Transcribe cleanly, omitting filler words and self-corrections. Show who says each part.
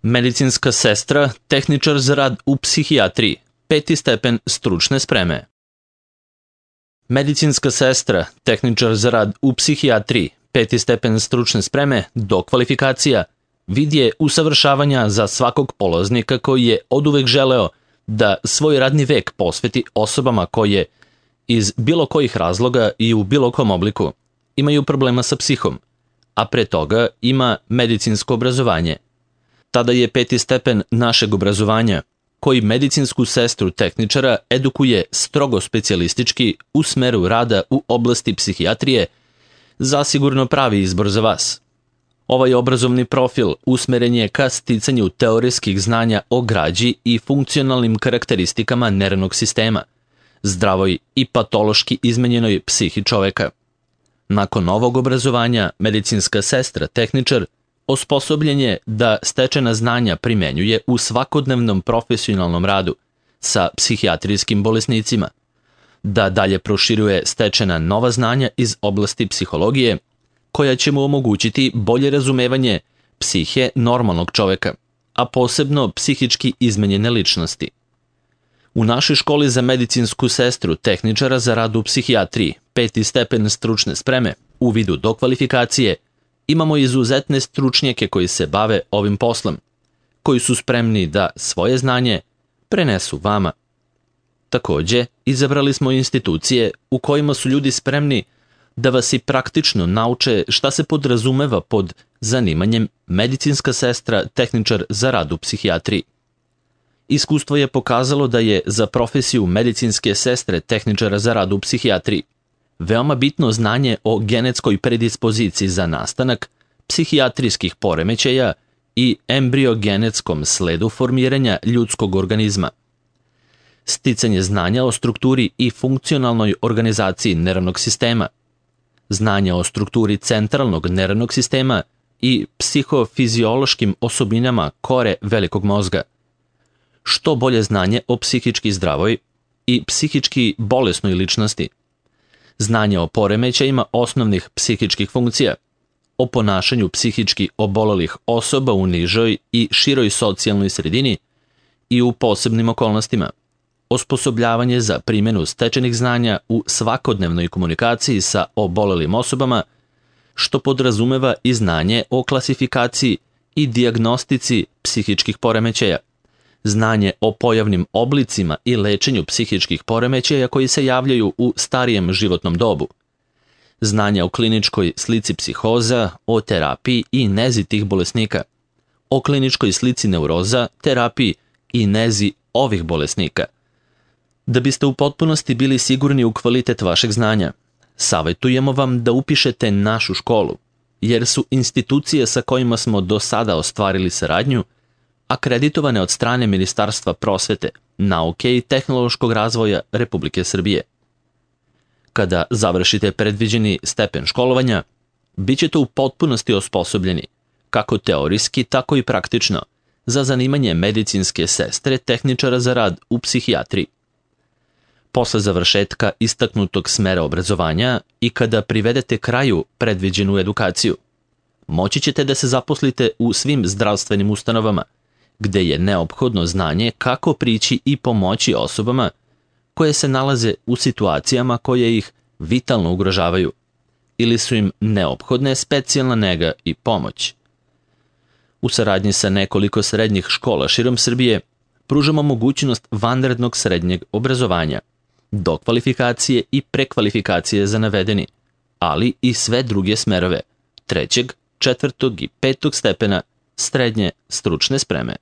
Speaker 1: Medicinska sestra, tehničar za rad u psihijatriji, 5. stepen stručne spreme. Medicinska sestra, tehničar za rad u psihijatriji, 5. stepen stručne spreme, dokvalifikacija, vid je usavršavanja za svakog polaznika koji je oduvek želeo da svoj radni vek posveti osobama koje, iz bilo kojih razloga i u bilo kom obliku, imaju problema sa psihom, a pre toga ima medicinsko obrazovanje. Tada je 5. stepen našeg obrazovanja, koji medicinsku sestru tehničara edukuje strogo specijalistički u smeru rada u oblasti psihijatrije, zasigurno pravi izbor za vas. Ovaj obrazovni profil usmeren je ka sticanju teorijskih znanja o građi i funkcionalnim karakteristikama nervnog sistema, zdravoj i patološki izmenjenoj psihi čoveka. Nakon ovog obrazovanja, medicinska sestra tehničar osposobljen je da stečena znanja primenjuje u svakodnevnom profesionalnom radu sa psihijatrijskim bolesnicima, da dalje proširuje stečena nova znanja iz oblasti psihologije, koja će mu omogućiti bolje razumevanje psihe normalnog čoveka, a posebno psihički izmenjene ličnosti. U našoj školi za medicinsku sestru tehničara za rad u psihijatriji, 5. stepen stručne spreme, u vidu dokvalifikacije, imamo izuzetne stručnjake koji se bave ovim poslom, koji su spremni da svoje znanje prenesu vama. Takođe, izabrali smo institucije u kojima su ljudi spremni da vas i praktično nauče šta se podrazumeva pod zanimanjem medicinska sestra tehničar za rad u psihijatriji. Iskustvo je pokazalo da je za profesiju medicinske sestre tehničara za rad u psihijatriji veoma bitno znanje o genetskoj predispoziciji za nastanak psihijatrijskih poremećaja i embriogenetskom sledu formiranja ljudskog organizma. Sticanje znanja o strukturi i funkcionalnoj organizaciji nervnog sistema, znanja o strukturi centralnog nervnog sistema i psihofiziološkim osobinama kore velikog mozga. Što bolje znanje o psihički zdravoj i psihički bolesnoj ličnosti, znanje o poremećajima osnovnih psihičkih funkcija, o ponašanju psihički obolelih osoba u nižoj i široj socijalnoj sredini i u posebnim okolnostima, osposobljavanje za primjenu stečenih znanja u svakodnevnoj komunikaciji sa obolelim osobama, što podrazumeva i znanje o klasifikaciji i dijagnostici psihičkih poremećaja, znanje o pojavnim oblicima i lečenju psihičkih poremećaja koji se javljaju u starijem životnom dobu, znanje o kliničkoj slici psihoza, o terapiji i nezi tih bolesnika, o kliničkoj slici neuroza, terapiji i nezi ovih bolesnika. Da biste u potpunosti bili sigurni u kvalitet vašeg znanja, savjetujemo vam da upišete našu školu, jer su institucije sa kojima smo do sada ostvarili saradnju akreditovane od strane Ministarstva prosvete, nauke i tehnološkog razvoja Republike Srbije. Kada završite predviđeni stepen školovanja, bit ćete u potpunosti osposobljeni, kako teorijski, tako i praktično, za zanimanje medicinske sestre tehničara za rad u psihijatriji. Posle završetka istaknutog smera obrazovanja i kada privedete kraju predviđenu edukaciju, moći ćete da se zaposlite u svim zdravstvenim ustanovama, gde je neophodno znanje kako prići i pomoći osobama koje se nalaze u situacijama koje ih vitalno ugrožavaju ili su im neophodne specijalna nega i pomoć. U saradnji sa nekoliko srednjih škola širom Srbije pružamo mogućnost vanrednog srednjeg obrazovanja, dokvalifikacije i prekvalifikacije za navedeni, ali i sve druge smerove 3., 4. i 5. stepena srednje stručne spreme.